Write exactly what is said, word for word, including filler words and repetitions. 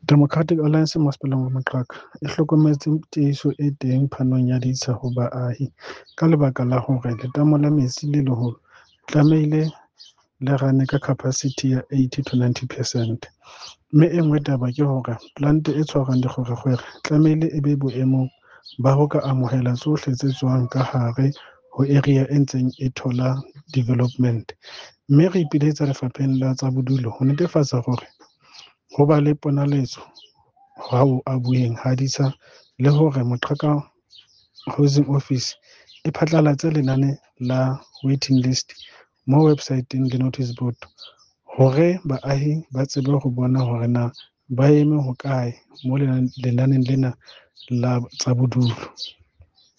Democratic Alliance Masepaleng wa Moqhaka e hlokometse tiehiso e teng phanong ya ditsha ho baahi ka lebaka la hore letamo la metsi le leholo tlamehile le rane ka capacity ya eighty to ninety percent, mme e nngwe taba ke hore plant e tshwarang dikgwerekgwere tlamehile e be boemong ba ho ka amohela tsohle tse tswang ka hare ho area e ntseng e thola development, mme re ipiletsa Lefapheng la tsa Bodulo ho netefatsa hore ho ba le ponaletso ha ho abuweng ha ditsha le hore Moqhaka Housing Office e phatlalatse lenane la waiting list mo website-eng le notice board hore baahi ba tsebe ho bona hore na ba eme hokae mo lenaneng lena la tsa bodulo.